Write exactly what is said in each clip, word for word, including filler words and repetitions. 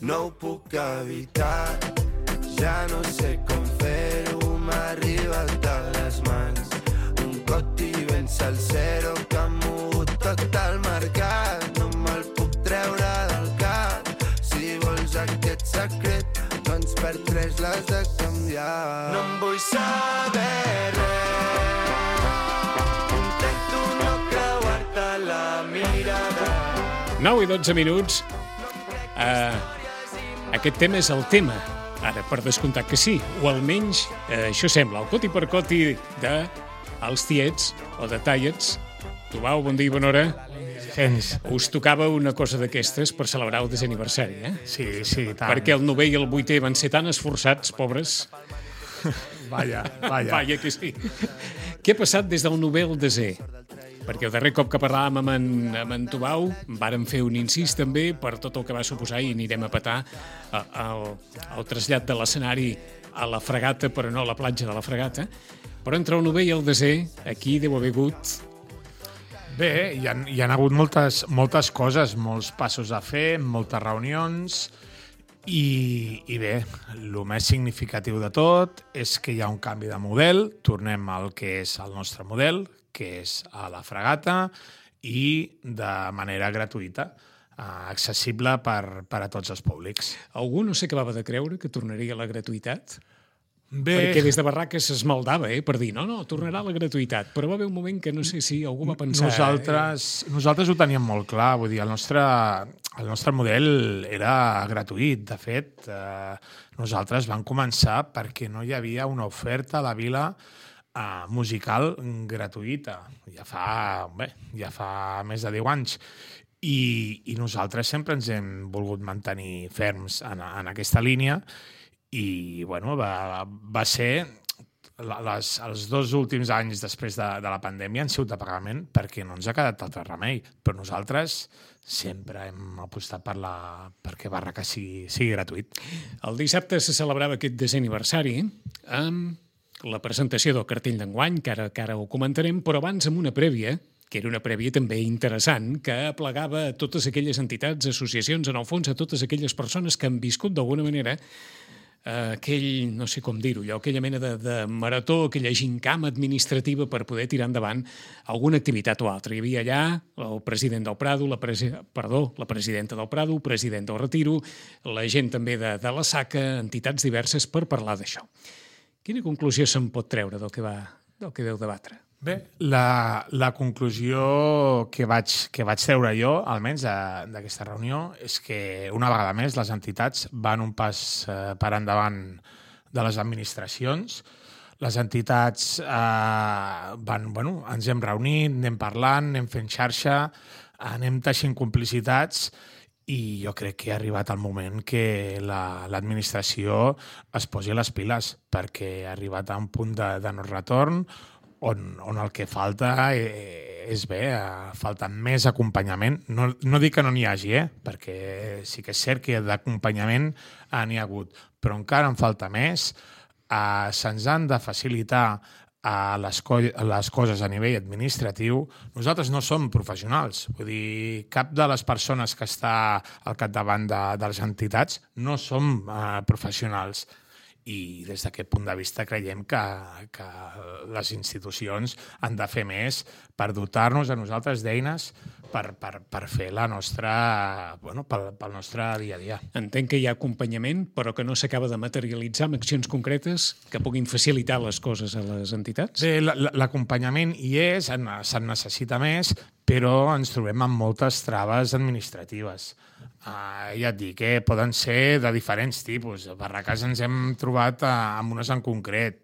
No ho puc evitar, ja no sé com fer-ho, m'ha arribat a les mans. Un coti ben salsero que ha mogut tot el mercat. No me'l puc treure del cap, si vols aquest secret, doncs per tres l'has de canviar. No em vull saber res, intento no creuar-te la mirada. nou i dotze minuts. Uh, aquest tema és el tema. Ara, per descomptat que sí, o almenys eh, això sembla, el coti per coti de els tiets o de tallets. Tubau, bon dia i bona hora. Gens. Us tocava una cosa d'aquestes per celebrar el desè aniversari, eh? Sí, sí, tant. Perquè el novè i el vuitè van ser tan esforçats, pobres. Vaya, vaya. Vaya que sí. Què ha passat des del novè al desè? Perquè el darrer cop que parlàvem amb en, amb en Tubau vàrem fer un incís també per tot el que va suposar i anirem a petar el, el trasllat de l'escenari a la Fregata, però no a la platja de la Fregata. Però entre el novè i el desè, aquí deu haver hagut... Bé, hi ha, hi ha hagut moltes, moltes coses, molts passos a fer, moltes reunions i, i bé, el més significatiu de tot és que hi ha un canvi de model, tornem al que és el nostre model, que és a la Fregata i de manera gratuïta, accessible per, per a tots els públics. Algú no s'acabava de creure que tornaria a la gratuïtat? Bé... Perquè des de barraques s'esmaldava, eh, per dir, no, no, tornarà a la gratuïtat. Però va haver un moment que no sé si algú va pensar... Nosaltres, eh... nosaltres ho teníem molt clar, vull dir, el nostre, el nostre model era gratuït. De fet, eh, nosaltres vam començar perquè no hi havia una oferta a la vila Uh, musical gratuïta. Ja fa, bé, ja fa més de deu anys. I, i nosaltres sempre ens hem volgut mantenir ferms en, en aquesta línia i bueno, va, va ser les, els dos últims anys després de, de la pandèmia han sigut de pagament perquè no ens ha quedat altre remei. Però nosaltres sempre hem apostat per la, perquè Barraca sigui, sigui gratuït. El dissabte se celebrava aquest desè aniversari amb la presentació del cartell d'enguany, que ara, que ara ho comentarem, però abans amb una prèvia, que era una prèvia també interessant, que aplegava a totes aquelles entitats, associacions, en el fons a totes aquelles persones que han viscut d'alguna manera eh, aquell, no sé com dir-ho, allò, aquella mena de, de marató, aquella gincama administrativa per poder tirar endavant alguna activitat o altra. Hi havia allà el president del Prado, la, presi perdó, la presidenta del Prado, el president del Retiro, la gent també de, de la Saca, entitats diverses per parlar d'això. Quina conclusió se'n pot treure del que, va, del que veu debatre? Bé, la, la conclusió que vaig, que vaig treure jo, almenys d'aquesta reunió, és que una vegada més les entitats van un pas eh, per endavant de les administracions. Les entitats eh, van, bueno, ens hem reunit, anem parlant, anem fent xarxa, anem teixint complicitats i jo crec que ha arribat el moment que l'administració la, es posi les piles perquè ha arribat a un punt de, de no retorn on, on el que falta és bé, falta més acompanyament. No, no dic que no n'hi hagi, eh? Perquè sí que és cert que d'acompanyament n'hi ha hagut, però encara en falta més. Eh, se'ns han de facilitar a les, co les coses a nivell administratiu. Nosaltres no som professionals, vull dir, cap de les persones que està al capdavant de, de les entitats no som eh, professionals. I des d'aquest punt de vista creiem que, que les institucions han de fer més per dotar-nos a nosaltres d'eines per, per, per fer la nostra, bueno, pel, pel nostre dia a dia. Entenc que hi ha acompanyament, però que no s'acaba de materialitzar amb accions concretes que puguin facilitar les coses a les entitats? Bé, l'acompanyament hi és, se'n necessita més, però ens trobem amb moltes traves administratives. Uh, ja et dic, eh, poden ser de diferents tipus. A Barraques ens hem trobat uh, amb unes en concret.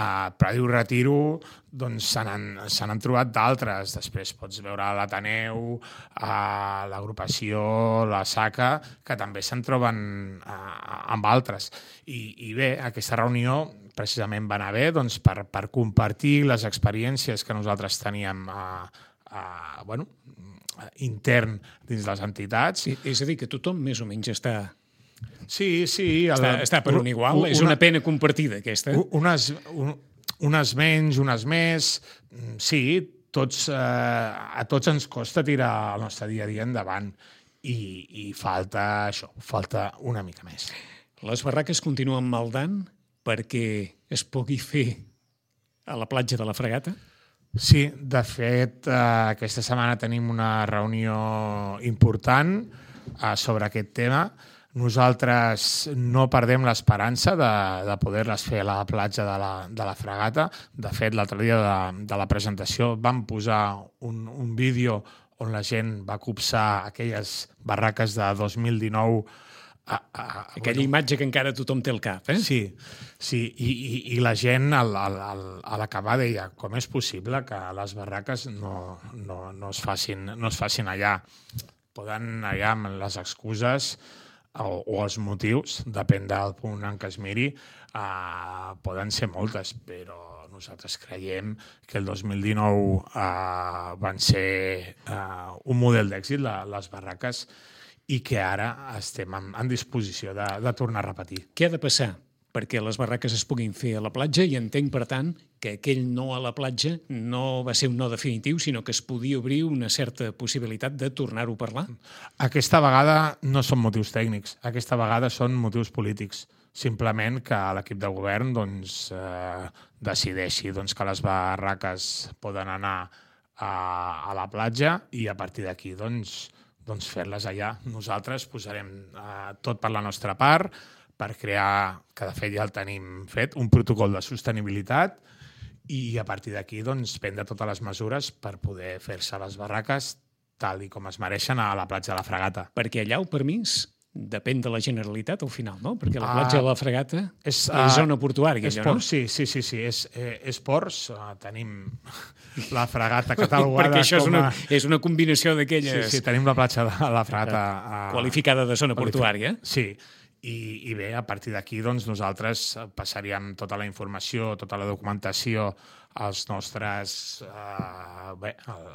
A uh, Prado i Retiro doncs, se n'han trobat d'altres. Després pots veure l'Ateneu, uh, l'agrupació, la Saca, que també se'n troben uh, amb altres. I, I bé, aquesta reunió precisament va anar bé doncs, per, per compartir les experiències que nosaltres teníem uh, uh, bueno, intern dins les entitats. Sí, és a dir, que tothom més o menys està... Sí, sí. Està, el, està per un igual, una, és una pena compartida aquesta. Unes, un, unes menys, unes més, sí, tots, eh, a tots ens costa tirar el nostre dia a dia endavant i, i falta això, falta una mica més. Les barraques continuen maldant perquè es pugui fer a la platja de la Fragata? Sí, de fet, eh, aquesta setmana tenim una reunió important eh, sobre aquest tema. Nosaltres no perdem l'esperança de, de poder-les fer a la platja de la, de la Fragata. De fet, l'altre dia de, de la presentació vam posar un, un vídeo on la gent va copsar aquelles barraques de dos mil dinou. A, a, Aquella bueno, imatge que encara tothom té al cap, eh? Sí, sí, i, i, i la gent al, al, al, a l'acabar deia com és possible que les barraques no, no, no, es facin, no es facin allà. Poden allà amb les excuses o, o els motius, depèn del punt en què es miri, uh, poden ser moltes, però nosaltres creiem que el dos mil dinou uh, van ser uh, un model d'èxit, la, les barraques, i que ara estem en, en disposició de, de tornar a repetir. Què ha de passar perquè les barraques es puguin fer a la platja? I entenc, per tant, que aquell no a la platja no va ser un no definitiu, sinó que es podia obrir una certa possibilitat de tornar-ho a parlar? Aquesta vegada no són motius tècnics, aquesta vegada són motius polítics. Simplement que l'equip de govern doncs, eh, decideixi doncs, que les barraques poden anar a, a la platja i a partir d'aquí doncs, doncs fer-les allà. Nosaltres posarem eh, tot per la nostra part per crear, que de fet ja el tenim fet, un protocol de sostenibilitat i a partir d'aquí doncs, prendre totes les mesures per poder fer-se les barraques tal i com es mereixen a la platja de la Fragata. Perquè allà el permís depèn de la Generalitat al final, no? Perquè la platja de la Fragata és, és zona portuària, és allò, port, no? Sí, sí, sí, sí. És, eh, és ports. Uh, tenim la Fragata catalogada perquè això és com a... una, és una combinació d'aquelles... Sí, sí, tenim la platja de la Fragata... Uh, qualificada de zona portuària. Sí, i, i bé, a partir d'aquí doncs, nosaltres passaríem tota la informació, tota la documentació als nostres... Uh, bé, el,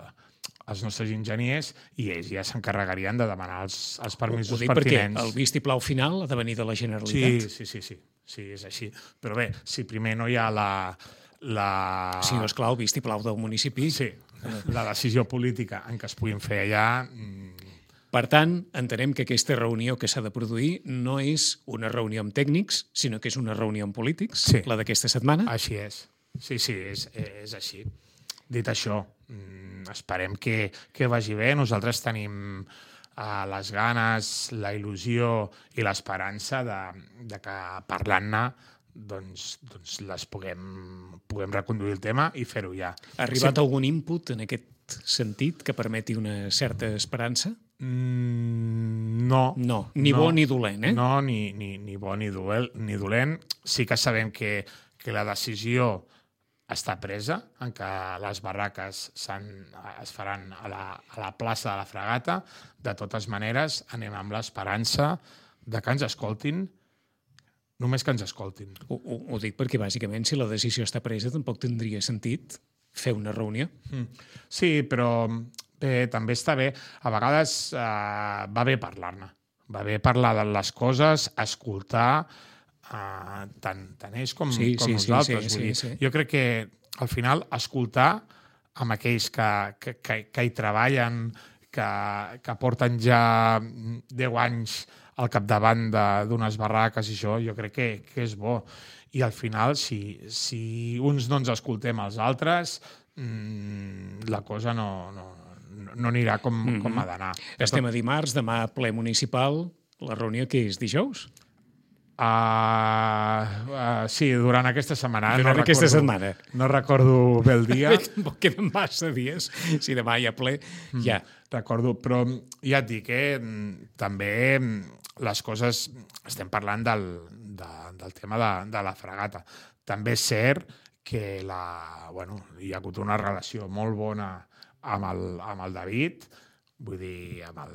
els nostres enginyers i ells ja s'encarregarien de demanar els, els permisos ho dic pertinents. Perquè el vistiplau final ha de venir de la Generalitat. Sí, sí, sí, sí, sí, és així. Però bé, si primer no hi ha la... la... Sí, esclar, el vistiplau del municipi. Sí, la decisió política en què es puguin fer allà... Per tant, entenem que aquesta reunió que s'ha de produir no és una reunió amb tècnics, sinó que és una reunió amb polítics, sí, la d'aquesta setmana. Així és. Sí, sí, és, és així. Dit això, esperem que, que vagi bé. Nosaltres tenim uh, les ganes, la il·lusió i l'esperança de, de que parlant-ne doncs, doncs les puguem, puguem reconduir el tema i fer-ho ja. Ha arribat sí. algun input en aquest sentit que permeti una certa esperança? Mm, no. No, ni no, bo ni dolent, eh? No, ni, ni, ni bo ni, duel, ni dolent. Sí que sabem que, que la decisió està presa, en què les barraques es faran a la, a la plaça de la Fragata. De totes maneres, anem amb l'esperança de que ens escoltin, només que ens escoltin. Ho, ho, ho dic perquè, bàsicament, si la decisió està presa, tampoc tindria sentit fer una reunió. Mm. Sí, però bé, també està bé. A vegades eh, va bé parlar-ne. Va bé parlar de les coses, escoltar... Uh, tant, tant ells com, sí, com sí, nosaltres. Sí, sí, vull dir, sí, sí. Jo crec que al final escoltar amb aquells que, que, que, que hi treballen, que, que porten ja deu anys al capdavant d'unes barraques i això, jo crec que, que és bo. I al final, si, si uns no ens escoltem als altres, mmm, la cosa no, no, no anirà com, mm-hmm. com ha d'anar. Estem a dimarts, demà ple municipal, la reunió que és dijous? Uh, uh, sí, durant aquesta setmana. Durant no aquesta recordo, setmana. No recordo bé el dia. Tampoc queden massa dies. Si demà hi ha ple, mm, ja. Recordo, però ja et dic que eh, també les coses... Estem parlant del, de, del tema de, de la Fragata. També és cert que la, bueno, hi ha hagut una relació molt bona amb el, amb el David, vull dir, amb el,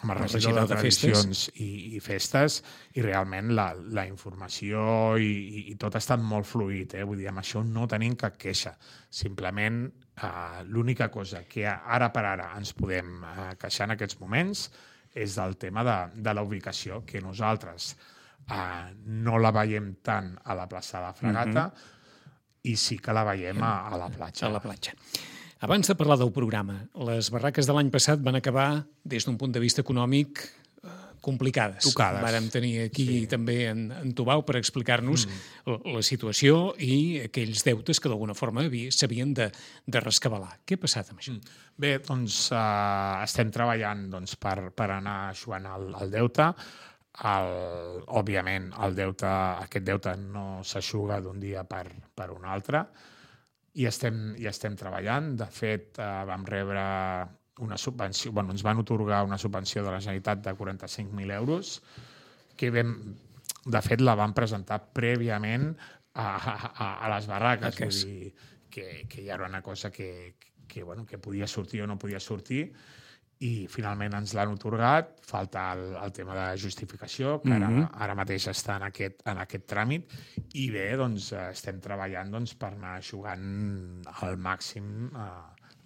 amb el regidor de, de tradicions i, i festes, i realment la, la informació i, i, i tot ha estat molt fluid, eh? Vull dir, amb això no tenim cap queixa. Simplement, eh, l'única cosa que ara per ara ens podem eh, queixar en aquests moments és del tema de, de la ubicació, que nosaltres eh, no la veiem tant a la plaça de la Fragata, mm-hmm. i sí que la veiem a, a la platja. A la platja. Abans de parlar del programa, les barraques de l'any passat van acabar, des d'un punt de vista econòmic, complicades. Tocades. Vàrem tenir aquí sí. també en, en Tubau per explicar-nos mm. la situació i aquells deutes que d'alguna forma s'havien de, de rescabalar. Què ha passat amb això? Bé, doncs uh, estem treballant doncs, per, per anar eixuant el, el deute. El, òbviament, el deute, aquest deute no s'eixuga d'un dia per, per un altre i estem, i estem treballant. De fet, uh, vam rebre una subvenció, bueno, ens van otorgar una subvenció de la Generalitat de quaranta-cinc mil euros, que vam, de fet la vam presentar prèviament a, a, a les barraques. Vull dir, que, que ja era una cosa que, que, bueno, que podia sortir o no podia sortir, i finalment ens l'han otorgat. Falta el, el tema de justificació, que ara, mm-hmm. ara mateix està en aquest, en aquest tràmit, i bé, doncs, estem treballant doncs, per anar eixugant al màxim eh,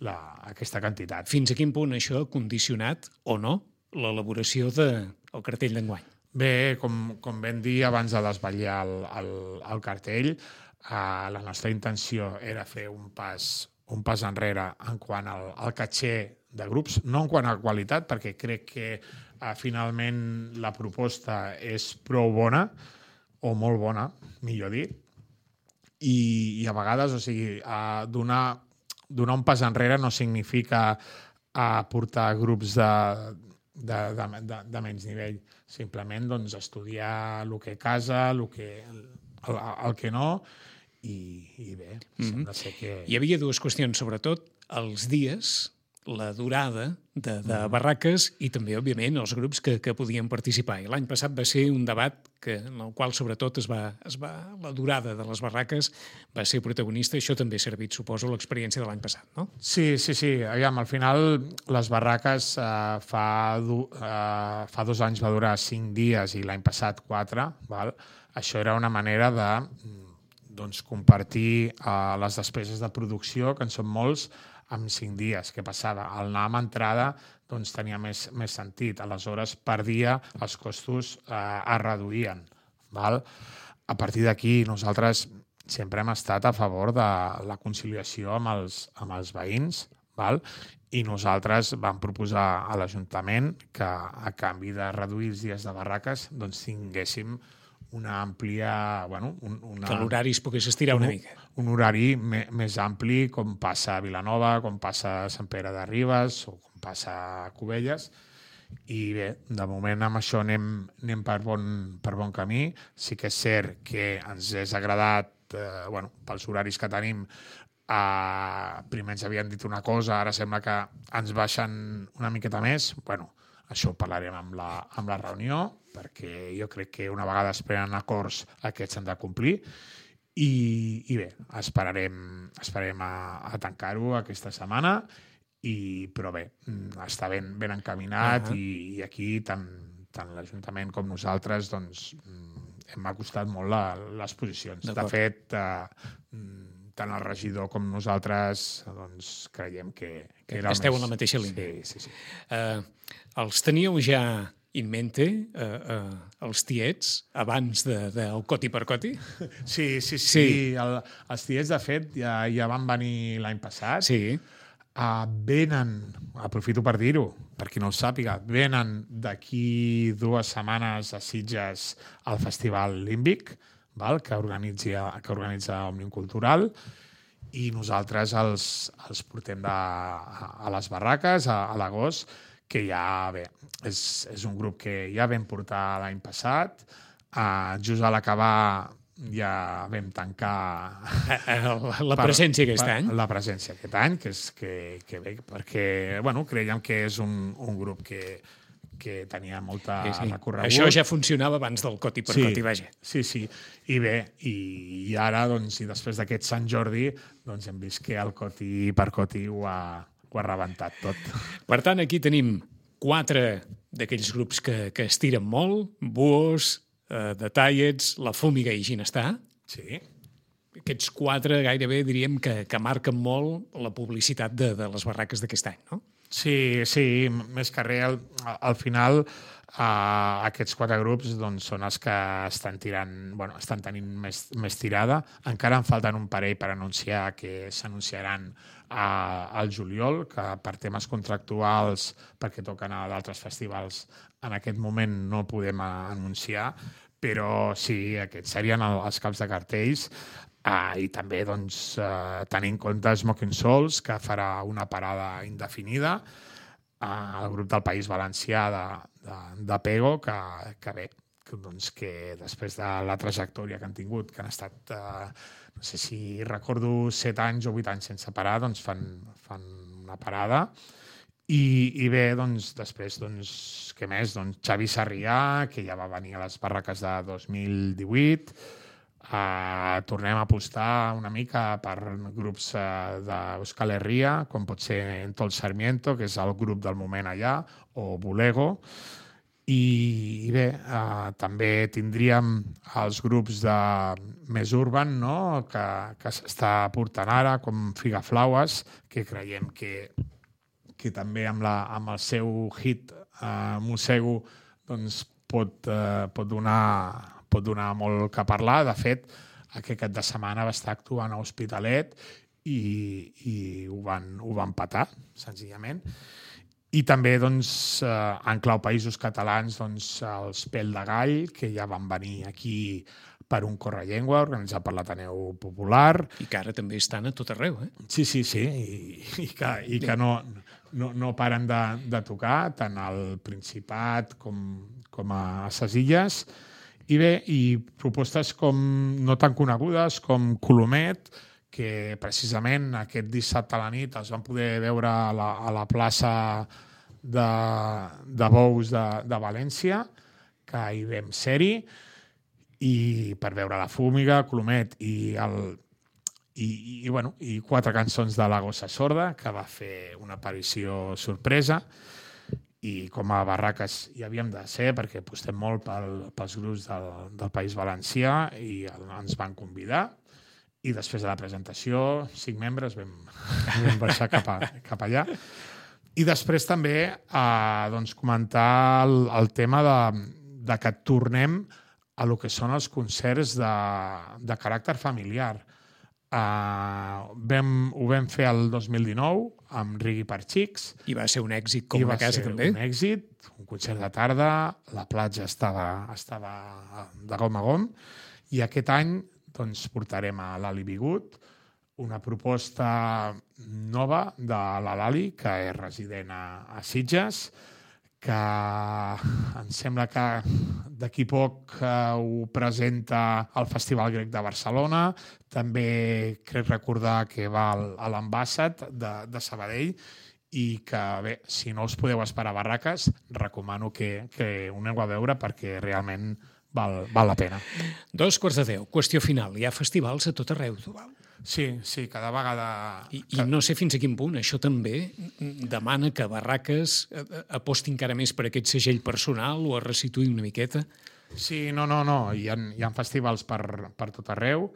La, aquesta quantitat. Fins a quin punt això ha condicionat o no l'elaboració del cartell d'enguany? Bé, com, com vam dir abans de desvetllar el, el, el cartell, eh, la nostra intenció era fer un pas, un pas enrere en quant al, al caché de grups, no en quant a qualitat, perquè crec que eh, finalment la proposta és prou bona, o molt bona, millor dit, i, i a vegades, o sigui, eh, donar donar un pas enrere no significa aportar grups de, de, de, de, de menys nivell. Simplement doncs, estudiar el que casa, el que, el, el que no, i, i bé, mm-hmm. sembla ser que... Hi havia dues qüestions, sobretot, els dies, la durada de, de barraques i també, òbviament, els grups que, que podien participar. I l'any passat va ser un debat que, en el qual, sobretot, es va, es va, la durada de les barraques va ser protagonista. Això també ha servit, suposo, l'experiència de l'any passat, no? Sí, sí, sí. Aviam, al final, les barraques eh, fa, du, eh, fa dos anys va durar cinc dies i l'any passat quatre. Val? Això era una manera de doncs, compartir eh, les despeses de producció, que en són molts, amb cinc dies. Què passava? Al anar amb entrada doncs, tenia més, més sentit. Aleshores, per dia, els costos eh, es reduïen. Val? A partir d'aquí, nosaltres sempre hem estat a favor de la conciliació amb els, amb els veïns, val? I nosaltres vam proposar a l'Ajuntament que, a canvi de reduir els dies de barraques, doncs, tinguéssim una àmplia... Bueno, un, una, que l'horari es pogués estirar una un, mica. Un horari me, més ampli, com passa a Vilanova, com passa a Sant Pere de Ribes o com passa a Cubelles. I bé, de moment amb això anem, anem per, bon, per bon camí. Sí que és cert que ens és agradat, eh, bueno, pels horaris que tenim, eh, primer ens havien dit una cosa, ara sembla que ens baixen una miqueta més. Bueno, això ho parlarem amb la, amb la reunió, perquè jo crec que una vegada es prenen acords aquests s'han de complir. I, i bé, esperarem, esperarem a, a tancar-ho aquesta setmana, i, però bé, està ben, ben encaminat. Uh-huh. i, i aquí tant, tant l'Ajuntament com nosaltres doncs, hem acostat molt la, les posicions. De fet, eh, tant el regidor com nosaltres doncs, creiem que, que era esteu més... en la mateixa línia. Sí, sí, sí. Uh, els teníeu ja in mente, uh, uh, els tiets, abans de, del coti per coti? Sí, sí, sí. sí. El, els tiets, de fet, ja, ja van venir l'any passat. Sí. Uh, venen, aprofito per dir-ho, per qui no ho sàpiga, venen d'aquí dues setmanes a Sitges al Festival Límbic, val? Que, organitza, que organitza Òmnium Cultural, i nosaltres els, els portem de, a, a les barraques a, a l'agost, que ja, bé, és, és un grup que ja vam portar l'any passat. Uh, just a l'acabar ja vam tancar... La, la presència per, aquest per, any? La presència aquest any, que és que, que bé, perquè, bueno, creiem que és un, un grup que, que tenia molta sí, sí. recorregut. Això ja funcionava abans del coti per sí, coti, vaja. Sí, sí. I bé, i, i ara, doncs, i després d'aquest Sant Jordi, doncs hem vist que el coti per coti ho ha, ho ha rebentat tot. Per tant, aquí tenim quatre d'aquells grups que, que estiren molt, Buos, eh, The Tiets, La Fúmiga i Ginestar. Sí. Aquests quatre gairebé diríem que, que marquen molt la publicitat de, de les barraques d'aquest any, no? Sí, sí, més que res, al, al final Uh, aquests quatre grups doncs, són els que estan tirant, bueno, estan tenint més, més tirada. Encara en falten un parell per anunciar, que s'anunciaran uh, al juliol, que per temes contractuals, perquè toquen a d'altres festivals, en aquest moment no podem anunciar, però sí, aquests serien els caps de cartells. Uh, I també doncs, uh, tenint en compte Smoking Souls, que farà una parada indefinida, el grup del País Valencià de, de, de Pego, que, que bé, que, doncs, que després de la trajectòria que han tingut, que han estat, eh, no sé si recordo, set anys o vuit anys sense parar, doncs fan, fan una parada. I, i bé, doncs, després, doncs, què més? Doncs Xavi Sarrià, que ja va venir a les barraques de dos mil divuit, Uh, tornem a apostar una mica per grups uh, d'Euskal Herria, com pot ser Entol Sarmiento, que és el grup del moment allà, o Bulego. I, i bé, uh, també tindríem els grups de més urban, no?, que, que s'està portant ara, com Figaflaues, que creiem que, que també amb, la, amb el seu hit uh, Mossego doncs, pot, uh, pot donar... pot donar molt que parlar. De fet, aquest cap de setmana va estar actuant a Hospitalet i, i ho, van, ho van patar, senzillament. I també, doncs, en clau països catalans, doncs, els Pèl de Gall, que ja van venir aquí per un Correllengua, organitzat per l'Ateneu Popular. I que ara també estan a tot arreu, eh? Sí, sí, sí, i, i que, i que no, no, no paren de, de tocar, tant al Principat com, com a ses Illes. I bé, i propostes com no tan conegudes com Colomet, que precisament aquest dissabte a la nit es van poder veure a la, a la plaça de, de Bous de, de València, que hi vam ser-hi, i per veure la Fúmiga, Colomet i, el, i, i, bueno, i quatre cançons de la Gossa Sorda, que va fer una aparició sorpresa. I com a barraques hi havíem de ser, perquè apostem molt pel, pels grups del, del País Valencià i el, ens van convidar. I després de la presentació, cinc membres vam, vam baixar cap, a, cap allà. I després també eh, doncs, comentar el, el tema de, de que tornem a lo que són els concerts de, de caràcter familiar. Uh, vam, ho vam fer el dos mil dinou amb Rigui per Xics. I va ser un èxit com una casa, també. I va ser un èxit, un concert de tarda, la platja estava, estava de gom a gom, i aquest any doncs, portarem a l'Ali Bigut una proposta nova de la Lali, que és resident a, a Sitges, que em sembla que d'aquí poc eh, ho presenta al Festival Grec de Barcelona. També crec recordar que va a l'Ambassat de, de Sabadell i que, bé, si no us podeu esperar a barraques, recomano que, que ho aneu a veure perquè realment val, val la pena. Dos quarts de deu. Qüestió final. Hi ha festivals a tot arreu, Tubal. Sí, sí, cada vegada... I, I no sé fins a quin punt això també demana que Barraques aposti encara més per aquest segell personal o es resituï una miqueta. Sí, no, no, no. Hi ha, hi ha festivals per, per tot arreu.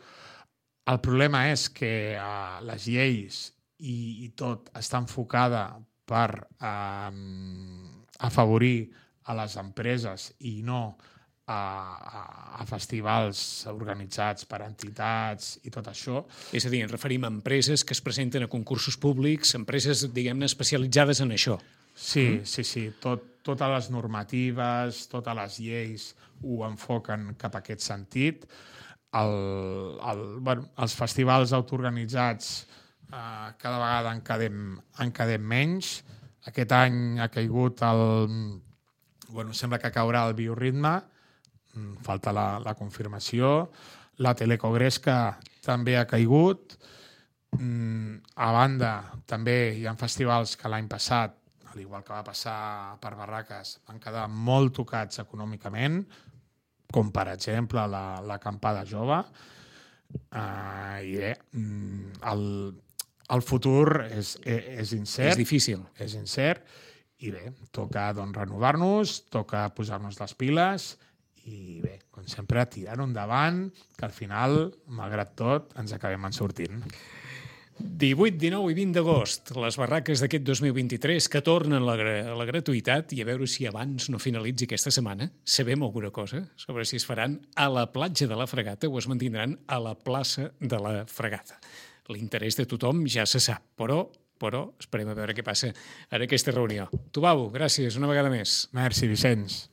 El problema és que uh, les lleis i, i tot està enfocada per uh, afavorir a les empreses i no A, a, a festivals organitzats per entitats i tot això. És a dir, ens referim a empreses que es presenten a concursos públics, empreses, diguem-ne, especialitzades en això. Sí, mm? sí, sí. Tot, totes les normatives, totes les lleis ho enfoquen cap a aquest sentit. El, el, bueno, els festivals autoorganitzats eh, cada vegada en quedem, en quedem menys. Aquest any ha caigut el... Bueno, sembla que caurà el Bioritme, falta la, la confirmació. La Telecogresca també ha caigut. A banda, també hi ha festivals que l'any passat, al igual que va passar per Barraques, van quedar molt tocats econòmicament, com per exemple la, la Acampada Jove. Uh, I bé, el, el futur és, és incert. És difícil. És incert. I bé, toca doncs, renovar-nos, toca posar-nos les piles i bé, com sempre, tirar-ho endavant, que al final, malgrat tot, ens acabem en sortint. divuit, dinou i vint d'agost, les barraques d'aquest dos mil vint-i-tres que tornen a la, a la gratuïtat, i a veure si abans no finalitzi aquesta setmana sabem alguna cosa sobre si es faran a la platja de la Fregata o es mantindran a la plaça de la Fregata. L'interès de tothom ja se sap, però, però esperem a veure què passa en aquesta reunió. Tubau, gràcies una vegada més. Merci, Vicenç.